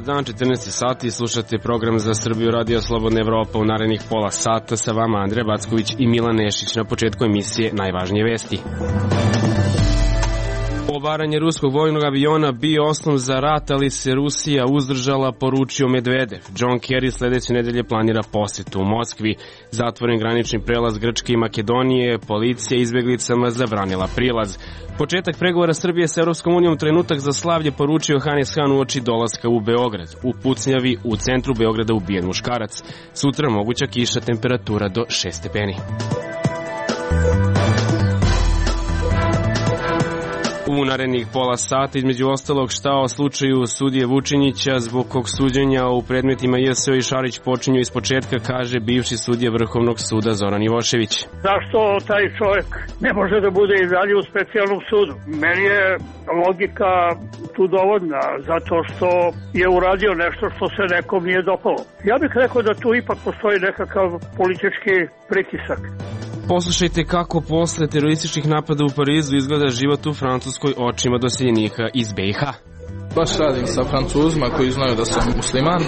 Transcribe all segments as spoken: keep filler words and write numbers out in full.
Dan, četrnaest sati, slušate program za Srbiju Radio Slobodna Evropa. U narednih pola sata sa vama Andreja Backović i Milan Nešić. Na početku emisije najvažnije vesti. Obaranje ruskog vojnog aviona bio osnov za rat, ali se Rusija uzdržala, poručio Medvedev. John Kerry sledeće nedelje planira posetu u Moskvi. Zatvoren granični prelaz Grčke i Makedonije, policija izbeglicama zabranila prilaz. Početak pregovora Srbije sa Evropskom unijom, trenutak za slavlje, poručio Hannes Hahn uoči dolaska u Beograd. U pucnjavi u centru Beograda ubijen muškarac. Sutra moguća kiša, temperatura do šest stepeni. U narednih pola sata, između ostalog, šta o slučaju sudije Vučinića, zbog kog suđenja u predmetima J S O i Šarić počinju iz početka, kaže bivši sudija Vrhovnog suda Zoran Ivošević. Zašto taj čovjek ne može da bude i dalje u specijalnom sudu? Meni je logika tu dovoljna, zato što je uradio nešto što se nekom nije dopalo. Ja bih rekao da tu ipak postoji nekakav politički pritisak. Poslušajte kako posle terorističkih napada u Parizu izgleda život u Francuskoj očima doseljenika iz B i H. Baš radim sa Francuzima koji znaju da sam musliman,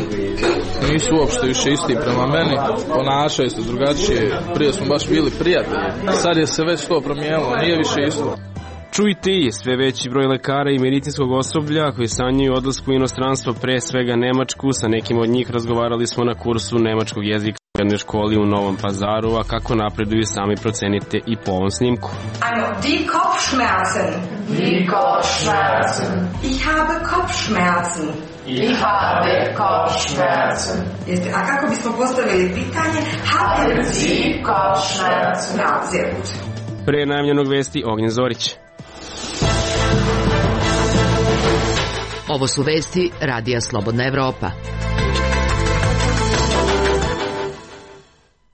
nisu uopšte više isti prema meni, ponašaju se drugačije, prije smo baš bili prijatelji, sad je se već to promijenilo, nije više isto. Čujte i sve veći broj lekara i medicinskog osoblja koji sanjaju odlasku u inostranstvo, pre svega Nemačku. Sa nekim od njih razgovarali smo na kursu nemačkog jezika u jednoj školi u Novom Pazaru, a kako napreduju sami procenite i po ovom snimku. Ano, die Kopfschmerzen. Die Kopfschmerzen. Ich habe Kopfschmerzen. Ich habe Kopfschmerzen. Jeste, a kako bismo postavili pitanje? Haben Sie Kopfschmerzen? Ja, sehr gut. Pre najavljenog vesti Ognjen Zorić. Ovo su vesti Radija Slobodna Evropa.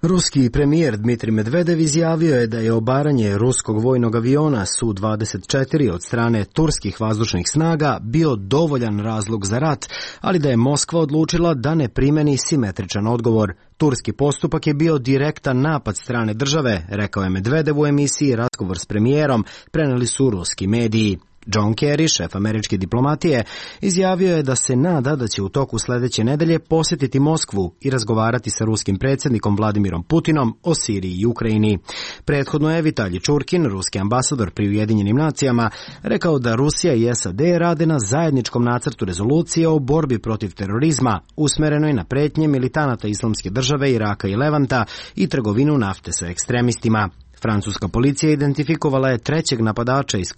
Ruski premijer Dmitrij Medvedev izjavio je da je obaranje ruskog vojnog aviona Su dvadeset četiri od strane turskih vazdušnih snaga bio dovoljan razlog za rat, ali da je Moskva odlučila da ne primeni simetričan odgovor. Turski postupak je bio direktan napad strane države, rekao je Medvedev u emisiji Razgovor s premijerom, preneli su ruski mediji. John Kerry, šef američke diplomatije, izjavio je da se nada da će u toku sledeće nedelje posjetiti Moskvu i razgovarati sa ruskim predsjednikom Vladimirom Putinom o Siriji i Ukrajini. Prethodno je Vitalij Čurkin, ruski ambasador pri Ujedinjenim nacijama, rekao da Rusija i S A D rade na zajedničkom nacrtu rezolucije o borbi protiv terorizma, usmerenoj na pretnje militanata Islamske države, Iraka i Levanta i trgovinu nafte sa ekstremistima. Francuska policija identifikovala je trećeg napadača iz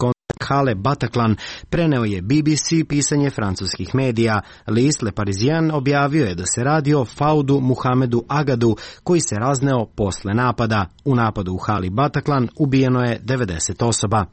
Hale Bataclan, preneo je B B C pisanje francuskih medija. List Le Parisien objavio je da se radi o Faudu Muhamedu Agadu, koji se razneo posle napada. U napadu u Hali Bataclan ubijeno je devedeset osoba.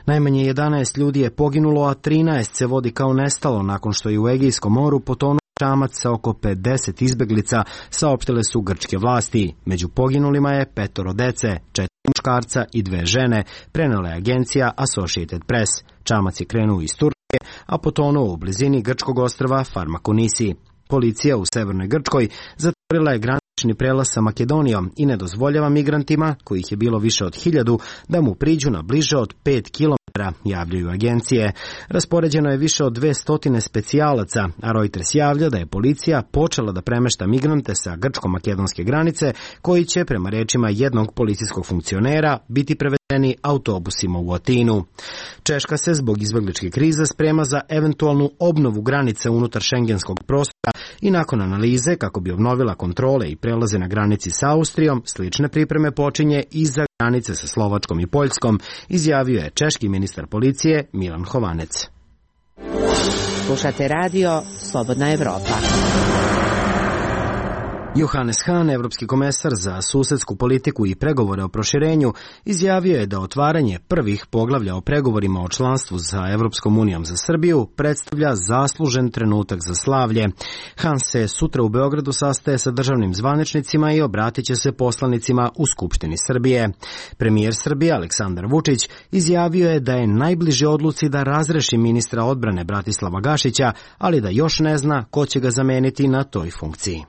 Najmanje jedanaest ljudi je poginulo, a trinaest se vodi kao nestalo nakon što je u Egejskom moru potonuo čamac sa oko pedeset izbeglica, saopštile su grčke vlasti. Među poginulima je petoro dece, četiri muškarca i dve žene, prenela je agencija Associated Press. Čamac je krenuo iz Turske, a potonuo u blizini grčkog ostrva Farmakonisi. Policija u severnoj Grčkoj zatvorila je granični prelaz sa Makedonijom i ne dozvoljava migrantima, kojih je bilo više od hiljadu, da mu priđu na bliže od pet kilometara, javljaju agencije. Raspoređeno je više od dve stotine specijalaca, a Reuters javlja da je policija počela da premešta migrante sa grčko-makedonske granice, koji će, prema rečima jednog policijskog funkcionera, biti prevedeni autobusima u Atinu. Češka se zbog izbegličke krize sprema za eventualnu obnovu granice unutar šengenskog prostora i nakon analize kako bi obnovila kontrole i prelaze na granici sa Austrijom, slične pripreme počinje i za granice sa Slovačkom i Poljskom, izjavio je češki ministar policije Milan Hovanec. Slušate radio Slobodna Evropa. Johannes Hahn, evropski komesar za susedsku politiku i pregovore o proširenju, izjavio je da otvaranje prvih poglavlja o pregovorima o članstvu sa Evropskom unijom za Srbiju predstavlja zaslužen trenutak za slavlje. Hahn se sutra u Beogradu sastaje sa državnim zvaničnicima i obratit će se poslanicima u Skupštini Srbije. Premijer Srbije Aleksandar Vučić izjavio je da je najbliže odluci da razreši ministra odbrane Bratislava Gašića, ali da još ne zna ko će ga zameniti na toj funkciji.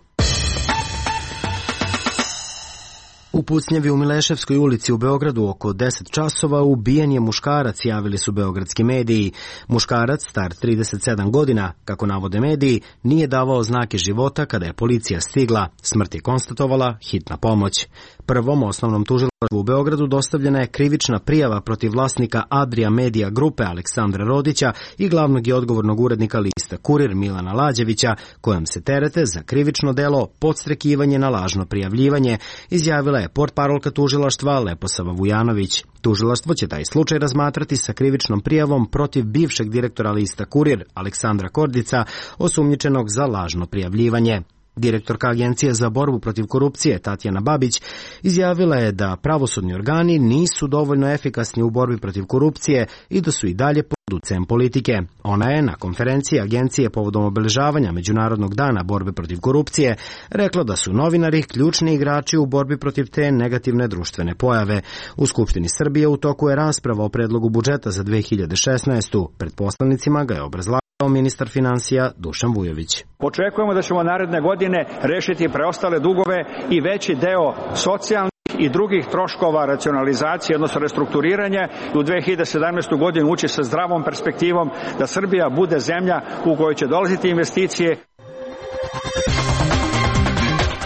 U pucnjavi u Mileševskoj ulici u Beogradu oko deset časova ubijen je muškarac, javili su beogradski mediji. Muškarac, star trideset sedam godina, kako navode mediji, nije davao znake života kada je policija stigla. Smrt je konstatovala hitna pomoć. Prvom osnovnom tužilaštvu u Beogradu dostavljena je krivična prijava protiv vlasnika Adria Media grupe Aleksandra Rodića i glavnog i odgovornog urednika lista Kurir Milana Lađevića, kojom se terete za krivično delo podstrekivanje na lažno prijavljivanje, izjavila je portparolka tužilaštva Leposava Vujanović. Tužilaštvo će taj slučaj razmatrati sa krivičnom prijavom protiv bivšeg direktora lista Kurir Aleksandra Kordica, osumnjičenog za lažno prijavljivanje. Direktorka Agencije za borbu protiv korupcije Tatjana Babić izjavila je da pravosudni organi nisu dovoljno efikasni u borbi protiv korupcije i da su i dalje pod ucem politike. Ona je na konferenciji Agencije povodom obeležavanja Međunarodnog dana borbe protiv korupcije rekla da su novinari ključni igrači u borbi protiv te negativne društvene pojave. U Skupštini Srbije u toku je rasprava o predlogu budžeta za dve hiljade šesnaestu. Pred poslanicima ga je obrazlagao ministar finansija Dušan Vujović. Očekujemo da ćemo naredne godine rešiti preostale dugove i veći deo socijalnih i drugih troškova racionalizacije, odnosno restrukturiranja, i u dve hiljade sedamnaestoj. godinu ući sa zdravom perspektivom da Srbija bude zemlja u kojoj će dolaziti investicije.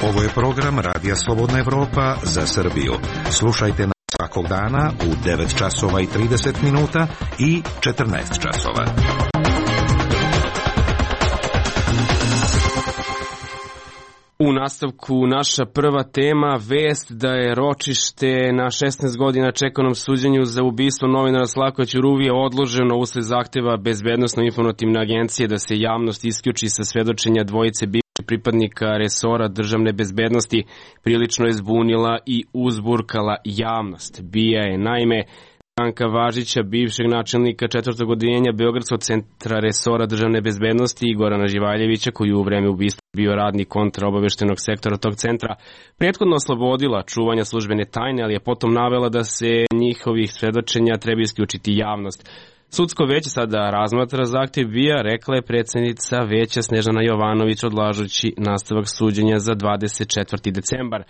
Ovo je program Radija Slobodna Evropa za Srbiju. Slušajte nas svakog dana u devet časova i trideset minuta i četrnaest časova. U nastavku naša prva tema, vest da je ročište na šesnaest godina čekanom suđenju za ubistvo novinara Slavka Ćuruvije odloženo usled zahteva Bezbednosno-informativne agencije da se javnost isključi sa svedočenja dvojice bivših pripadnika resora državne bezbednosti, prilično je zbunila i uzburkala javnost. Bija je naime Branka Važića, bivšeg načelnika četvrtog odeljenja Beogradskog centra resora državne bezbednosti i Gorana Živaljevića, koji u vreme ubistva bio radnik kontraobaveštenog sektora tog centra, prethodno oslobodila čuvanja službene tajne, ali je potom navela da se njihovih svedočenja treba isključiti javnost. Sudsko veće sada razmatra zahtev Bija, rekla je predsednica veća Snežana Jovanović, odlažući nastavak suđenja za dvadeset četvrti decembar.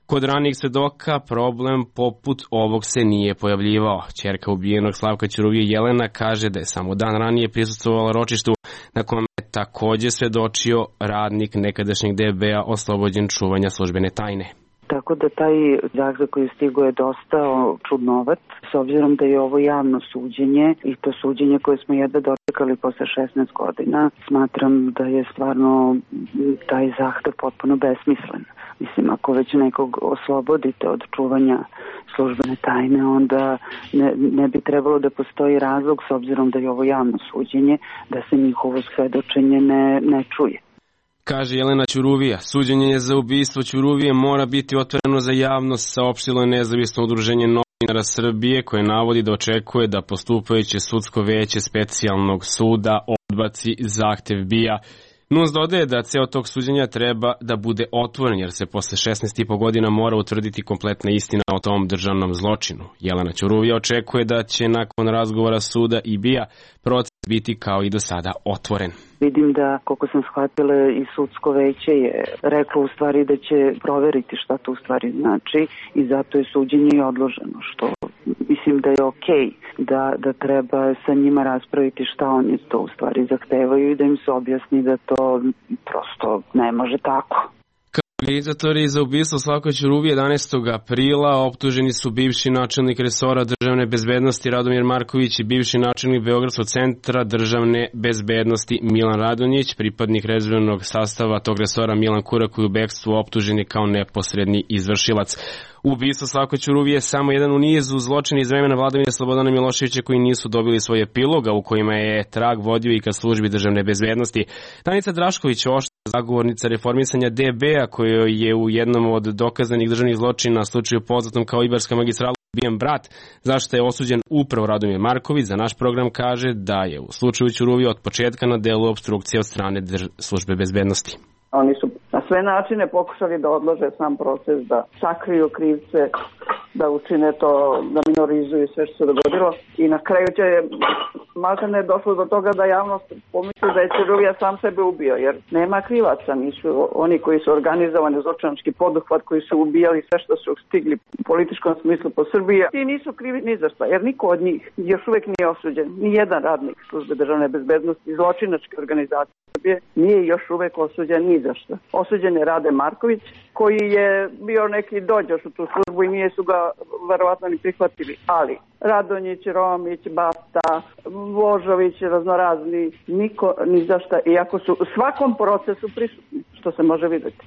Kod ranijih svedoka problem poput ovog se nije pojavljivao. Ćerka ubijenog Slavka Ćuruvije Jelena kaže da je samo dan ranije prisustvovala ročištu na kome je takođe svedočio radnik nekadašnjeg D B A oslobođen čuvanja službene tajne. Tako da taj zahtev koji stigo je dosta čudnovat, s obzirom da je ovo javno suđenje i to suđenje koje smo jedva dočekali posle šesnaest godina, smatram da je stvarno taj zahtev potpuno besmislen. Mislim, ako već nekog oslobodite od čuvanja službene tajne, onda ne, ne bi trebalo da postoji razlog, s obzirom da je ovo javno suđenje, da se njihovo svedočenje ne, ne čuje. Kaže Jelena Ćuruvija, suđenje za ubistvo Ćuruvije mora biti otvoreno za javnost, saopštilo je nezavisno udruženje novinara Srbije, koje navodi da očekuje da postupajuće sudsko veće specijalnog suda odbaci zahtev Bija. N U S dodaje da ceo tog suđenja treba da bude otvoren, jer se posle šesnaest i po godina mora utvrditi kompletna istina o tom državnom zločinu. Jelena Ćuruvija očekuje da će nakon razgovora suda i Bija proces biti kao i do sada otvoren. Vidim da, koliko sam shvatila, i sudsko veće je reklo u stvari da će proveriti šta to u stvari znači i zato je suđenje i odloženo, što mislim da je okej, da, da treba sa njima raspraviti šta oni to u stvari zahtevaju i da im se objasni da to prosto ne može tako. Organizatori za ubistvo Slavka Ćuruvije jedanaestog aprila optuženi su bivši načelnik resora državne bezbednosti Radomir Marković i bivši načelnik Beogradskog centra državne bezbednosti Milan Radonjić, pripadnik rezervnog sastava tog resora Milan Kurak, koji u bekstvu optuženi kao neposredni izvršilac. Ubistvo Slavka Ćuruvije je samo jedan u nizu zločina iz vremena vladavine Slobodana Miloševića koji nisu dobili svoj epilog, a u kojima je trag vodio i ka službi državne bezbednosti. Danica Drašković, oštra zagovornica reformisanja D B A, koja je u jednom od dokazanih državnih zločina slučaju poznatom kao Ibarska magistrala ubijen brat, zašto je osuđen upravo Radomir Marković, za naš program kaže da je u slučaju Ćuruvije od početka na delu opstrukcije od strane drž- službe bezbednosti. Oni su na sve načine pokušali da odlože sam proces, da sakriju krivce, da učine to, da minorizuju sve što se dogodilo i na kraju će malta ne došlo do toga da javnost pomisli da je Cerulija sam sebe ubio, jer nema krivaca, nisu oni koji su organizovani zločinački poduhvat, koji su ubijali sve što su stigli u političkom smislu po Srbiji i nisu krivi ni za šta, jer niko od njih još uvek nije osuđen, ni jedan radnik službe državne bezbednosti zločinačke organizacije Srbije nije još uvek osuđen ni za šta. Osuđen je Rade Marković, koji je bio neki dođoš u tu službu i nije su ga verovatno ni prihvatili, ali Radonjić, Romić, Basta, Božović, raznorazni, niko ni za šta, iako su u svakom procesu prisutni, što se može videti.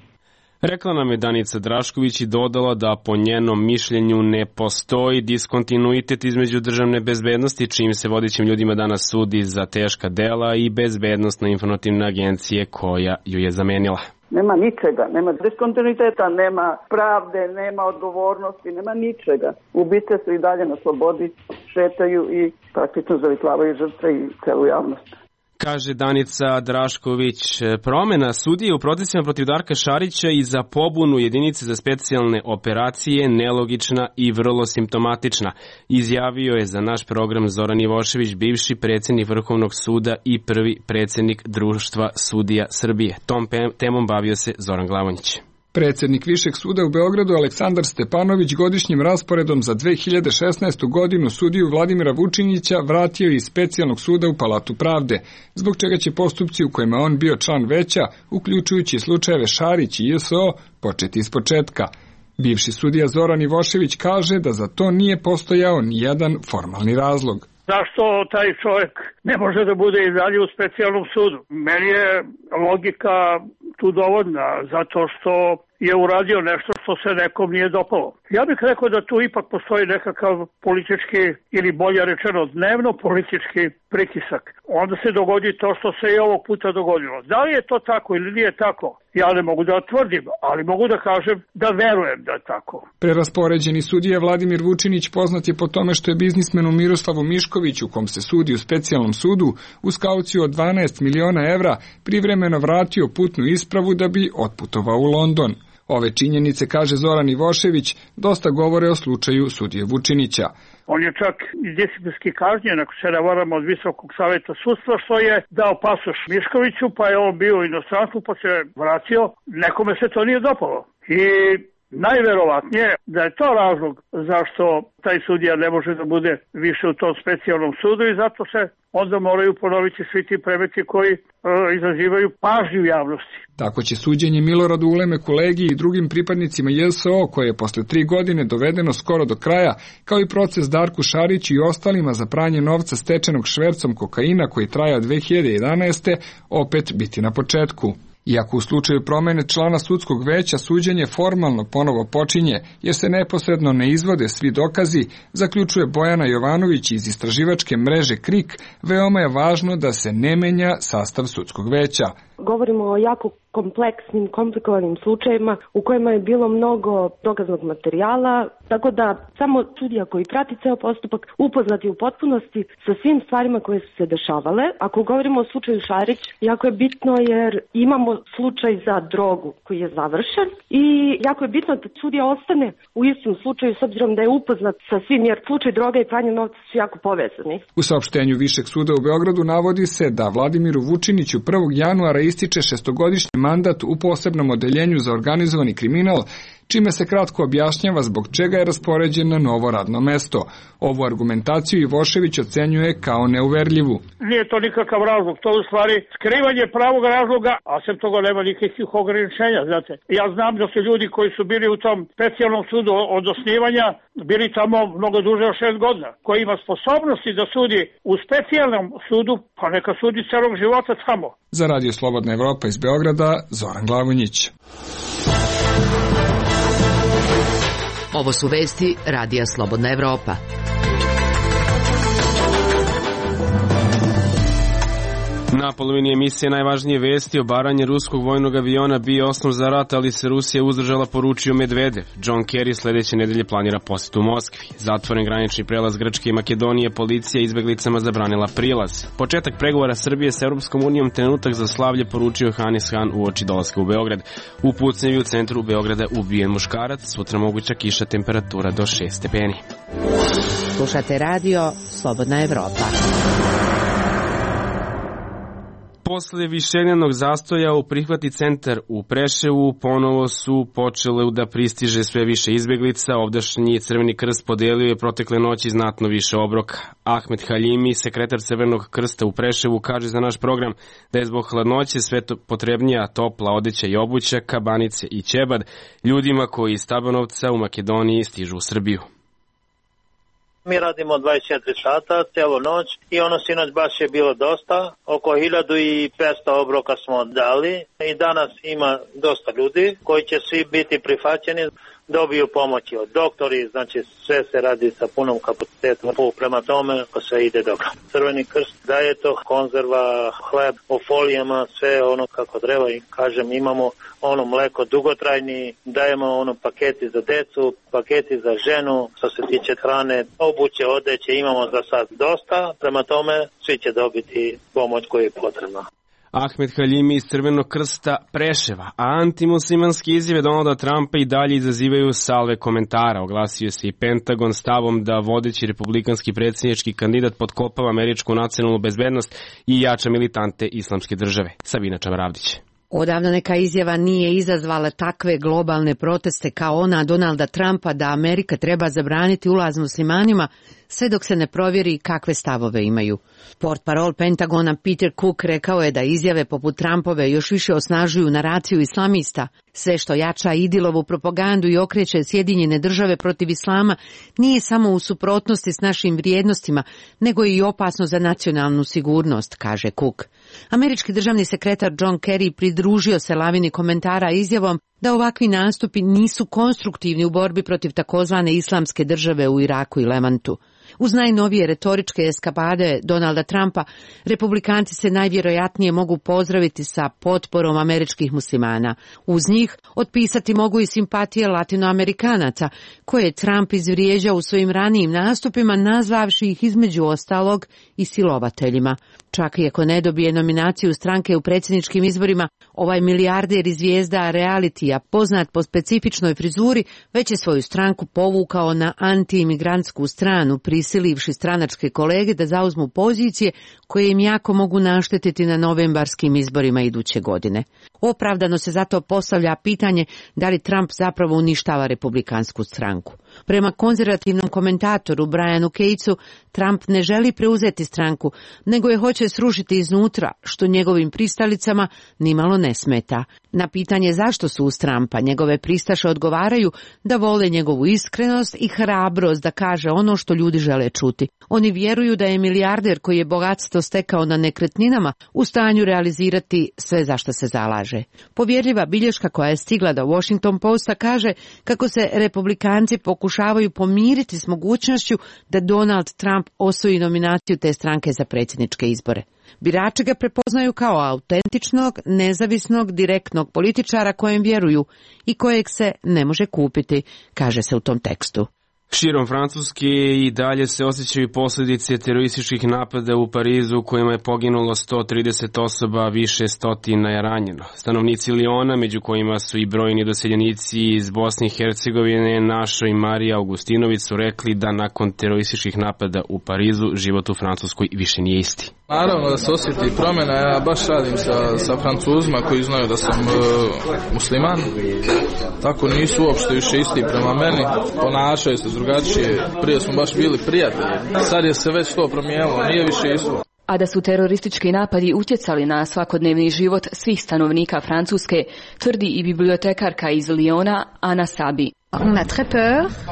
Rekla nam je Danica Drašković i dodala da po njenom mišljenju ne postoji diskontinuitet između državne bezbednosti, čim se vodećim ljudima danas sudi za teška dela, i bezbednostna informativna agencije koja ju je zamenila. Nema ničega, nema diskontinuiteta, nema pravde, nema odgovornosti, nema ničega. Ubice su i dalje na slobodi, šetaju i praktično zavitlavaju žrtve i celu javnost. Kaže Danica Drašković, promena sudije u procesima protiv Darka Šarića i za pobunu jedinice za specijalne operacije nelogična i vrlo simptomatična, izjavio je za naš program Zoran Ivošević, bivši predsjednik Vrhovnog suda i prvi predsjednik Društva sudija Srbije. Tom temom bavio se Zoran Glavonjić. Predsjednik Višeg suda u Beogradu Aleksandar Stepanović godišnjim rasporedom za dve hiljade šesnaestu. godinu sudiju Vladimira Vučinića vratio iz specijalnog suda u Palatu pravde, zbog čega će postupci u kojima on bio član veća, uključujući slučajeve Šarić i J S O, početi iz početka. Bivši sudija Zoran Ivošević kaže da za to nije postojao ni jedan formalni razlog. Zašto taj čovjek ne može da bude i dalje u specijalnom sudu? Meni je logika tu dovoljna, zato što je uradio nešto što se nekom nije dopalo. Ja bih rekao da tu ipak postoji nekakav politički, ili bolje rečeno dnevno politički pritisak. Onda se dogodi to što se i ovog puta dogodilo. Da li je to tako ili nije tako? Ja ne mogu da tvrdim, ali mogu da kažem da verujem da je tako. Preraspoređeni sudija Vladimir Vučinić poznat je po tome što je biznismenu Miroslavu Miškoviću, kom se sudi u specijalnom sudu, uz kauciju od dvanaest miliona evra privremeno vratio putnu ispravu da bi otputovao u London. Ove činjenice, kaže Zoran Ivošević, dosta govore o slučaju sudije Vučinića. On je čak i disciplinski kažnjen, ako se ne varam, od Visokog saveta sudstva, što je dao pasoš Miškoviću, pa je on bio u inostranstvu, pa se vratio. Nekome se to nije dopalo. I najverovatnije da je to razlog zašto taj sudija ne može da bude više u tom specijalnom sudu i zato se onda moraju ponoviti svi ti predmeti koji e, izazivaju pažnju javnosti. Tako će suđenje Miloradu Ulemeku Legiji i drugim pripadnicima J S O, koje je posle tri godine dovedeno skoro do kraja, kao i proces Darku Šariću i ostalima za pranje novca stečenog švercom kokaina koji traja od dve hiljade jedanaeste. opet biti na početku. Iako u slučaju promene člana sudskog veća suđenje formalno ponovo počinje, jer se neposredno ne izvode svi dokazi, zaključuje Bojana Jovanović iz istraživačke mreže KRIK, veoma je važno da se ne menja sastav sudskog veća. Govorimo o jako kompleksnim, komplikovanim slučajevima u kojima je bilo mnogo dokaznog materijala, tako da samo sudija koji prati ceo postupak upoznati u potpunosti sa svim stvarima koje su se dešavale. Ako govorimo o slučaju Šarić, jako je bitno jer imamo slučaj za drogu koji je završen i jako je bitno da sudija ostane u istom slučaju s obzirom da je upoznat sa svim, jer slučaj droga i pranje novca su jako povezani. U saopštenju Višeg suda u Beogradu navodi se da Vladimiru Vučiniću prvog januara ističe šestogodišnji mandat u posebnom odeljenju za organizovani kriminal, čime se kratko objašnjava zbog čega je raspoređen na novo radno mesto. Ovu argumentaciju Ivošević ocenjuje kao neuverljivu. Nije to nikakav razlog, to u stvari skrivanje pravog razloga, a sem toga nema nikakvih ograničenja, znate. Ja znam da su ljudi koji su bili u tom specijalnom sudu od osnivanja bili tamo mnogo duže od šest godina, koji ima sposobnosti da sudi u specijalnom sudu, pa neka sudi celog života tamo. Za Radio Slobodna Evropa iz Beograda, Zoran Glavonjić. Ovo su vesti Radija Slobodna Evropa. Na polovini emisije najvažnije vesti: obaranje ruskog vojnog aviona bio osnov za rat, ali se Rusija uzdržala, poručio Medvedev. John Kerry sledeće nedelje planira posetu Moskvi. Zatvoren granični prelaz Grčke i Makedonije, policija izbeglicama zabranila prilaz. Početak pregovora Srbije sa Europskom unijom, trenutak za slavlje, poručio Hanis Han uoči dolaska u Beograd. U pucnjevi u centru Beograda ubijen muškarac, sutra moguća kiša, temperatura do šest stepeni. Slušate radio Slobodna Evropa. Posle višednevnog zastoja u prihvati centar u Preševu ponovo su počele da pristiže sve više izbeglica. Ovdašnji Crveni krst podelio je protekle noći znatno više obroka. Ahmed Halimi, sekretar Crvenog krsta u Preševu, kaže za naš program da je zbog hladnoće sve potrebnija topla odeća i obuća, kabanice i ćebad ljudima koji iz Tabanovca u Makedoniji stižu u Srbiju. Mi radimo dvadeset četiri sata, celu noć i ono sinoć baš je bilo dosta. Oko hiljadu petsto obroka smo dali i danas ima dosta ljudi koji će svi biti prihvaćeni, dobiju pomoći od doktori, znači sve se radi sa punom kapacitetom, prema tome ko sve ide dobro. Crveni krst daje to, konzerva, hleb, u folijama, sve ono kako treba i kažem imamo ono mleko dugotrajni, dajemo ono paketi za decu, paketi za ženu, što se tiče hrane, obuće, odeće imamo za sad dosta, prema tome svi će dobiti pomoć koja je potrebna. Ahmed Halimi iz Crvenog krsta Preševa, a antimuslimanske izjave Donalda Trumpa i dalje izazivaju salve komentara. Oglasio se i Pentagon stavom da vodeći republikanski predsjednički kandidat potkopava američku nacionalnu bezbednost i jača militante islamske države. Sabina Čavaravdić. Odavno neka izjava nije izazvala takve globalne proteste kao ona Donalda Trumpa da Amerika treba zabraniti ulaz muslimanima sve dok se ne provjeri kakve stavove imaju. Portparol Pentagona Peter Cook rekao je da izjave poput Trumpove još više osnažuju naraciju islamista. Sve što jača Idilovu propagandu i okreće Sjedinjene države protiv islama nije samo u suprotnosti s našim vrijednostima, nego je i opasno za nacionalnu sigurnost, kaže Cook. Američki državni sekretar John Kerry pridružio se lavini komentara izjavom da ovakvi nastupi nisu konstruktivni u borbi protiv takozvane islamske države u Iraku i Levantu. Uz najnovije retoričke eskapade Donalda Trumpa, republikanci se najvjerojatnije mogu pozdraviti sa potporom američkih muslimana. Uz njih otpisati mogu i simpatije latinoamerikanaca, koje je Trump izvrijeđao u svojim ranijim nastupima, nazvavši ih između ostalog i silovateljima. Čak i ako ne dobije nominaciju stranke u predsjedničkim izborima, ovaj milijarder i zvijezda realitija, poznat po specifičnoj frizuri, već je svoju stranku povukao na antiimigrantsku stranu, prisilivši stranačke kolege da zauzmu pozicije koje im jako mogu naštetiti na novembarskim izborima iduće godine. Opravdano se zato postavlja pitanje da li Trump zapravo uništava republikansku stranku. Prema konzervativnom komentatoru Brianu Catesu, Trump ne želi preuzeti stranku, nego je hoće srušiti iznutra, što njegovim pristalicama nimalo ne smeta. Na pitanje zašto su uz Trumpa, njegove pristaše odgovaraju da vole njegovu iskrenost i hrabrost da kaže ono što ljudi žele čuti. Oni vjeruju da je milijarder koji je bogatstvo stekao na nekretninama u stanju realizirati sve za što se zalaže. Povjerljiva bilješka koja je stigla do Washington Posta kaže kako se republikanci pokušavaju pomiriti s mogućnošću da Donald Trump osvoji nominaciju te stranke za predsjedničke izbore. Birači ga prepoznaju kao autentičnog, nezavisnog, direktnog političara kojem vjeruju i kojeg se ne može kupiti, kaže se u tom tekstu. Širom Francuske i dalje se osjećaju posljedice terorističkih napada u Parizu u kojima je poginulo sto trideset osoba, više stotina je ranjeno. Stanovnici Liona, među kojima su i brojni doseljenici iz Bosne i Hercegovine, Našo i Marija Augustinović, su rekli da nakon terorističkih napada u Parizu život u Francuskoj više nije isti. Naravno da se osjeti promjena, ja baš radim sa, sa Francuzima koji znaju da sam e, musliman, tako nisu uopšte više isti prema meni, ponašaju se drugačije, prije smo baš bili prijatelji, sad je se već to promijenilo, nije više isto. A da su teroristički napadi utjecali na svakodnevni život svih stanovnika Francuske, tvrdi i bibliotekarka iz Liona, Ana Sabi.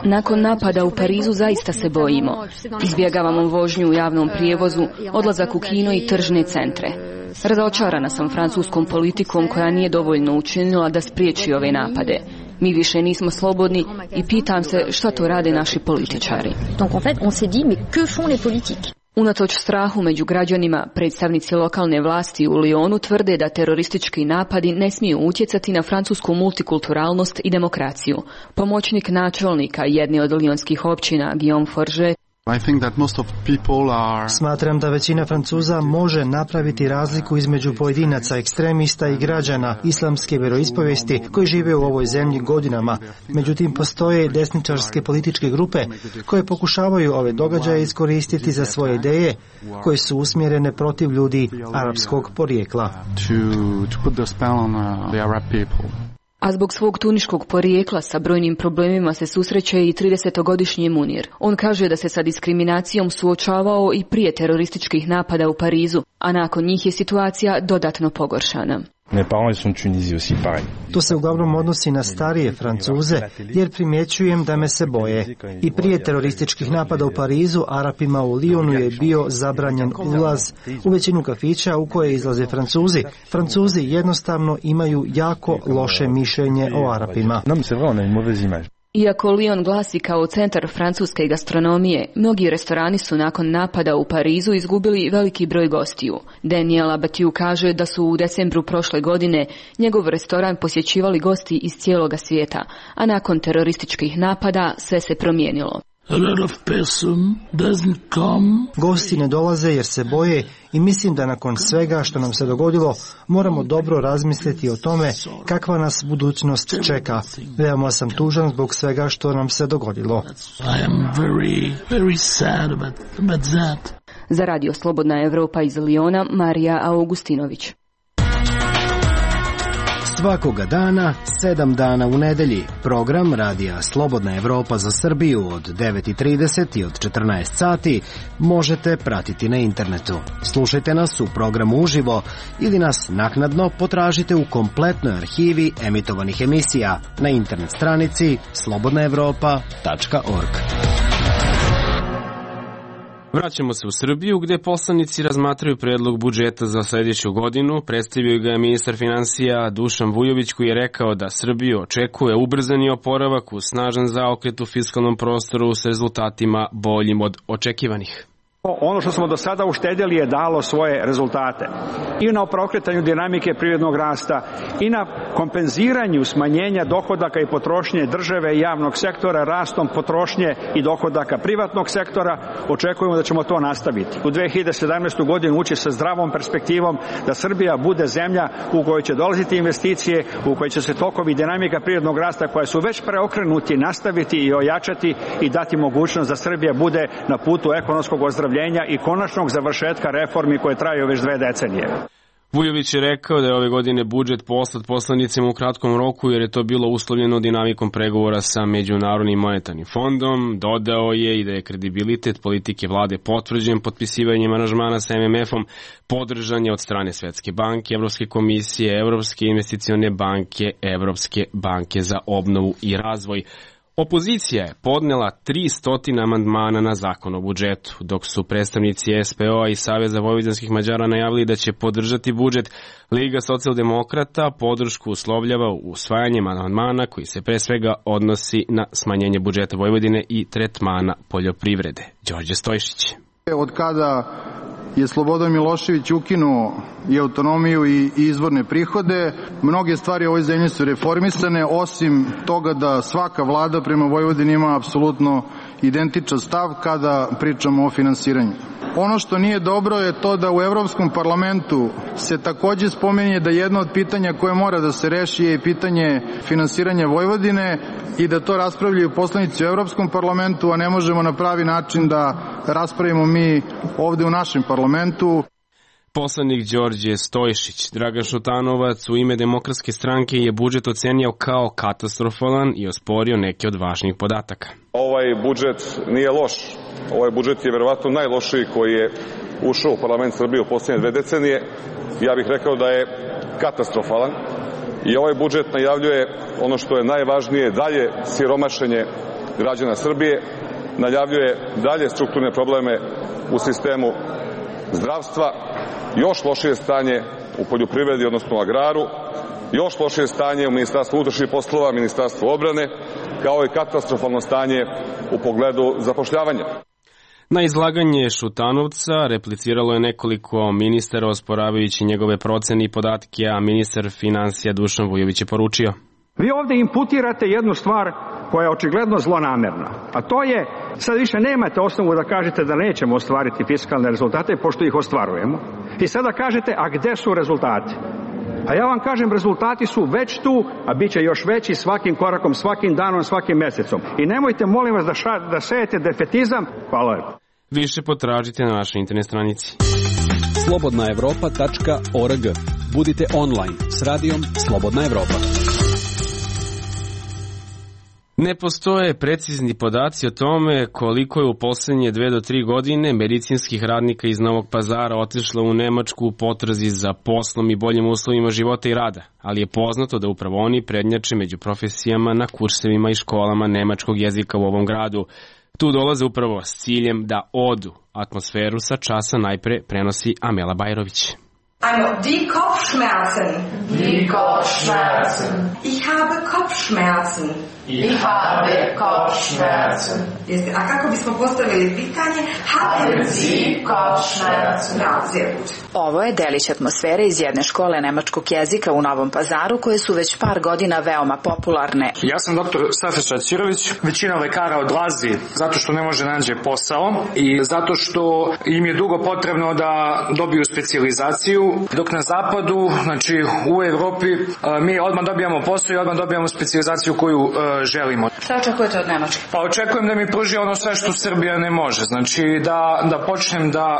Nakon napada u Parizu zaista se bojimo. Izbjegavamo vožnju u javnom prijevozu, odlazak u kino i tržne centre. Razočarana sam francuskom politikom koja nije dovoljno učinila da spriječi ove napade. Mi više nismo slobodni i pitam se šta to rade naši političari. Unatoč strahu među građanima, predstavnici lokalne vlasti u Lyonu tvrde da teroristički napadi ne smiju utjecati na francusku multikulturalnost i demokraciju. Pomoćnik načelnika jedne od lionskih općina, Guillaume Forget, Smatram da većina Francuza može napraviti razliku između pojedinaca, ekstremista i građana islamske vjeroispovijesti koji žive u ovoj zemlji godinama. Međutim, postoje desničarske političke grupe koje pokušavaju ove događaje iskoristiti za svoje ideje koje su usmjerene protiv ljudi arapskog porijekla. A zbog svog tuniškog porijekla sa brojnim problemima se susreće i tridesetogodišnji Munir. On kaže da se sa diskriminacijom suočavao i prije terorističkih napada u Parizu, a nakon njih je situacija dodatno pogoršana. To se uglavnom odnosi na starije Francuze, jer primjećujem da me se boje. I prije terorističkih napada u Parizu, Arapima u Lyonu je bio zabranjen ulaz u većinu kafića u koje izlaze Francuzi. Francuzi jednostavno imaju jako loše mišljenje o Arapima. Iako Lyon glasi kao centar francuske gastronomije, mnogi restorani su nakon napada u Parizu izgubili veliki broj gostiju. Daniel Abatiu kaže da su u decembru prošle godine njegov restoran posjećivali gosti iz cijeloga svijeta, a nakon terorističkih napada sve se promijenilo. Gosti ne dolaze jer se boje i mislim da nakon svega što nam se dogodilo moramo dobro razmisliti o tome kakva nas budućnost čeka. Veoma sam tužan zbog svega što nam se dogodilo. Za Radio Slobodna Evropa iz Lyona, Marija Augustinović. Svakoga dana, sedam dana u nedelji, program Radija Slobodna Evropa za Srbiju od devet i trideset i od četrnaest sati možete pratiti na internetu. Slušajte nas u programu uživo ili nas naknadno potražite u kompletnoj arhivi emitovanih emisija na internet stranici slobodna evropa tačka org. Vraćamo se u Srbiju, gde poslanici razmatraju predlog budžeta za sljedeću godinu. Predstavio ga je ministar finansija Dušan Vujović, koji je rekao da Srbiju očekuje ubrzani oporavak uz snažan zaokret u fiskalnom prostoru s rezultatima boljim od očekivanih. Ono što smo do sada uštedjeli je dalo svoje rezultate. I na preokretanju dinamike privrednog rasta, i na kompenziranju smanjenja dohodaka i potrošnje države i javnog sektora rastom potrošnje i dohodaka privatnog sektora. Očekujemo da ćemo to nastaviti. U dve hiljade sedamnaestoj. godinu ući sa zdravom perspektivom da Srbija bude zemlja u kojoj će dolaziti investicije, u kojoj će se tokovi dinamika privrednog rasta koje su već preokrenuti nastaviti i ojačati i dati mogućnost da Srbija bude na putu ekonomskog ozdravljenja i konačnog završetka reformi koje traju već dve decenije. Vujović je rekao da je ove godine budžet poslat poslanicima u kratkom roku jer je to bilo uslovljeno dinamikom pregovora sa Međunarodnim monetarnim fondom. Dodao je i da je kredibilitet politike vlade potvrđen potpisivanjem aranžmana sa M M F-om, podržan je od strane Svetske banke, Evropske komisije, Evropske investicione banke, Evropske banke za obnovu i razvoj. Opozicija je podnela tristo amandmana na zakon o budžetu, dok su predstavnici S P O-a i Saveza vojvođanskih Mađara najavili da će podržati budžet. Liga socijaldemokrata podršku uslovljava usvajanjem amandmana koji se pre svega odnosi na smanjenje budžeta Vojvodine i tretmana poljoprivrede. Đorđe Stojšić. Od kada je Slobodan Milošević ukinuo i autonomiju i izvorne prihode, mnoge stvari u ovoj zemlji su reformisane, osim toga da svaka vlada prema Vojvodini ima apsolutno identičan stav kada pričamo o finansiranju. Ono što nije dobro je to da u Evropskom parlamentu se takođe spominje da jedno od pitanja koje mora da se reši je i pitanje finansiranja Vojvodine i da to raspravljaju poslanici u Evropskom parlamentu, a ne možemo na pravi način da raspravimo mi ovde u našem parlamentu. Poslanik Đorđe Stojšić. Dragan Šutanovac u ime Demokratske stranke je budžet ocenio kao katastrofalan i osporio neke od važnijih podataka. Ovaj budžet nije loš. Ovaj budžet je verovatno najlošiji koji je ušao u parlament Srbije u posljednje dve decenije. Ja bih rekao da je katastrofalan i ovaj budžet najavljuje ono što je najvažnije, dalje siromašenje građana Srbije, najavljuje dalje strukturne probleme u sistemu zdravstva, još lošije stanje u poljoprivredi, odnosno u agraru, još lošije stanje u Ministarstvu unutrašnjih poslova, Ministarstvu odbrane, kao i katastrofalno stanje u pogledu zapošljavanja. Na izlaganje Šutanovca repliciralo je nekoliko ministara osporavajući njegove procene i podatke, a ministar finansija Dušan Vujović je poručio: Vi ovde imputirate jednu stvar koja je očigledno zlonamerna, a to je, sad više nemate osnovu da kažete da nećemo ostvariti fiskalne rezultate, pošto ih ostvarujemo. I sada kažete, a gde su rezultati? A ja vam kažem, rezultati su već tu, a bit će još veći svakim korakom, svakim danom, svakim mesecom. I nemojte, molim vas, da, ša, da sejete defetizam. Hvala lepo. Više potražite na našoj internet stranici. slobodna evropa tačka org. Budite online s radijom Slobodna Evropa. Ne postoje precizni podaci o tome koliko je u poslednje dve do tri godine medicinskih radnika iz Novog Pazara otišlo u Nemačku u potrazi za poslom i boljim uslovima života i rada, ali je poznato da upravo oni prednjače među profesijama na kursevima i školama nemačkog jezika u ovom gradu. Tu dolaze upravo s ciljem da odu. Atmosferu sa časa najpre prenosi Amela Bajrović. Also, die Kopfschmerzen. Die Kopfschmerzen. Ich habe Kopfschmerzen. Ich habe Kopfschmerzen. Jeste, a kako bismo postavili pitanje? Haben Sie Kopfschmerzen? Ja, sehr gut. Ovo je delić atmosfere iz jedne škole nemačkog jezika u Novom Pazaru, koje su već par godina veoma popularne. Ja sam doktor Safet Ćirović. Većina lekara odlazi zato što ne može nađe posao i zato što im je dugo potrebno da dobiju specijalizaciju, dok na zapadu, znači u Evropi, mi odmah dobijamo posao i odmah dobijamo specijalizaciju koju želimo. Šta očekujete od Nemačke? Pa očekujem da mi pruži ono sve što Srbija ne može. Znači da, da počnem da uh,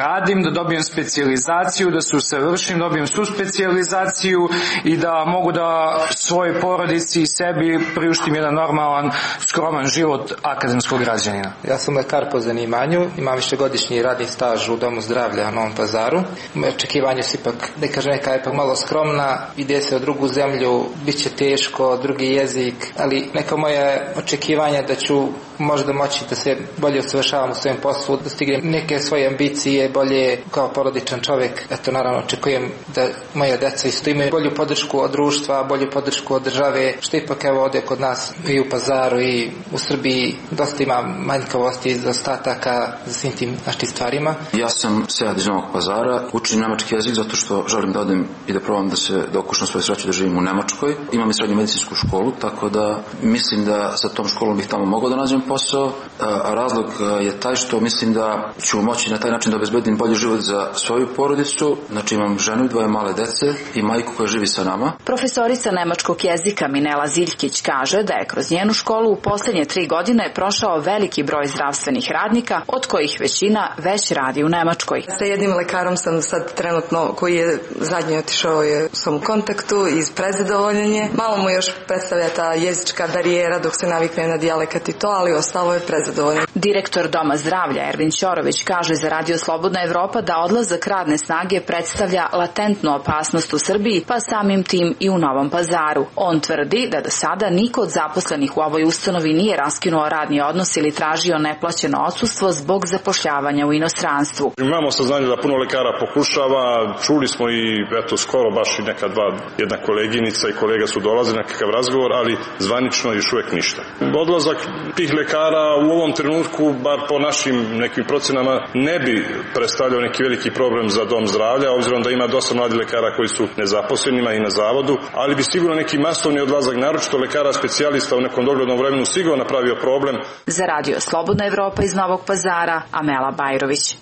radim, da dobijem specijalizaciju, da se usavršim, dobijem svu specijalizaciju i da mogu da svojoj porodici i sebi priuštim jedan normalan, skroman život akademskog građanina. Ja sam lekar po zanimanju, imam višegodišnji radni staž u Domu zdravlja u Novom Pazaru. Moje očekivanje su ipak, da kažem, neka je ipak malo skromna, ide se u drugu zemlju, bit će teško, drugi jezik, ali neka moje očekivanja da ću možda moći da se bolje usavršavam u svojem poslu, da stignem neke svoje ambicije, bolje kao porodičan čovjek. Eto, naravno, očekujem da moja deca isto imaju bolju podršku od društva, bolju podršku od države, što ipak evo ovdje kod nas i u Pazaru i u Srbiji dosta ima manjkavosti i zaostataka za svim tim našim stvarima. Ja sam Sead iz Novog Pazara, učim nemački jezik zato što želim da odem i da probam da se da okušam svoju sreću da živim u Nemačkoj. Imam i srednju medicinsku školu, tako da mislim da sa tom školom bih tamo mogao da nađem posao, a razlog je taj što mislim da ću moći na taj način da obezbedim bolji život za svoju porodicu. Znači imam ženu i dvoje male dece i majku koja živi sa nama. Profesorica nemačkog jezika Minela Ziljkić kaže da je kroz njenu školu u posljednje tri godine prošao veliki broj zdravstvenih radnika, od kojih većina već radi u Nemačkoj. Sa jednim lekarom sam sad trenutno, koji je zadnji otišao, je u svom kontaktu iz prezadovoljenje. Malo mu još predstavlja ta jezička barijera dok se navikne na dijalekat i to, ali ostalo je prezadovoljno. Direktor Doma zdravlja Ervin Ćorović kaže za Radio Slobodna Evropa da odlazak radne snage predstavlja latentnu opasnost u Srbiji, pa samim tim i u Novom Pazaru. On tvrdi da do sada niko od zaposlenih u ovoj ustanovi nije raskinuo radni odnos ili tražio neplaćeno odsustvo zbog zapošljavanja u inostranstvu. Imamo saznanje da puno lekara pokušava, čuli smo i eto skoro baš i neka dva, jedna koleginica i kolega su dolazili na kakav razgovor, ali zvanično još uvek ništa. Odlazak tih lekara u ovom trenutku, bar po našim nekim procenama, ne bi predstavljao neki veliki problem za dom zdravlja, obzirom da ima dosta mladih lekara koji su nezaposlenima i na zavodu, ali bi sigurno neki masovni odlazak, naročito lekara specijalista u nekom doglednom vremenu, sigurno napravio problem. Za Radio Slobodna Evropa iz Novog Pazara, Amela Bajrović.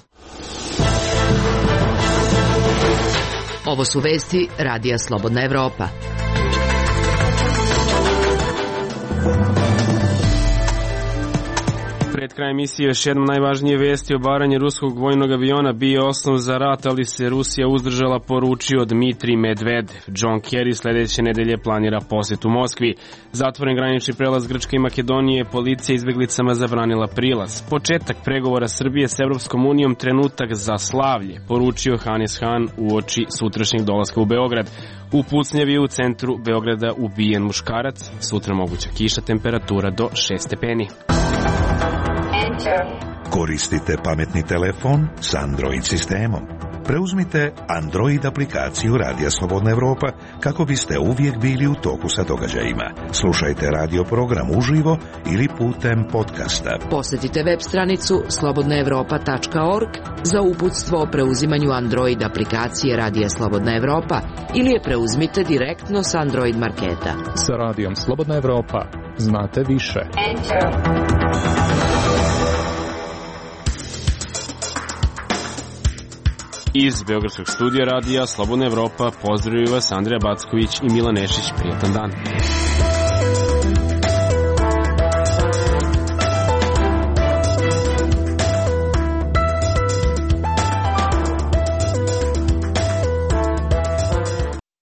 Ovo su vesti Radija Slobodna Evropa. Pred krajem emisije još jednom najvažnije vesti. Obaranje ruskog vojnog aviona bio osnov za rat, ali se Rusija uzdržala, poručio Dmitrij Medvedev. John Kerry sledeće nedelje planira posjet u Moskvi. Zatvoren granični prelaz Grčke i Makedonije, policija izbeglicama zabranila prilaz. Početak pregovora Srbije s Evropskom unijom trenutak za slavlje, poručio Hannes Hahn uoči sutrašnjeg dolaska u Beograd. U pucnjavi u centru Beograda ubijen muškarac, sutra moguća kiša, temperatura do šest stepeni. Koristite pametni telefon s Android sistemom. Preuzmite Android aplikaciju Radija Slobodna Evropa kako biste uvijek bili u toku sa događajima. Slušajte radio program uživo ili putem podcasta. Posjetite web stranicu slobodna evropa tačka org za uputstvo o preuzimanju Android aplikacije Radija Slobodna Evropa ili je preuzmite direktno sa Android marketa. Sa Radijom Slobodna Evropa znate više. Iz Beogradskog studija Radija Slobodna Evropa pozdravljaju vas Andrija Backović i Milan Nešić. Prijatan dan.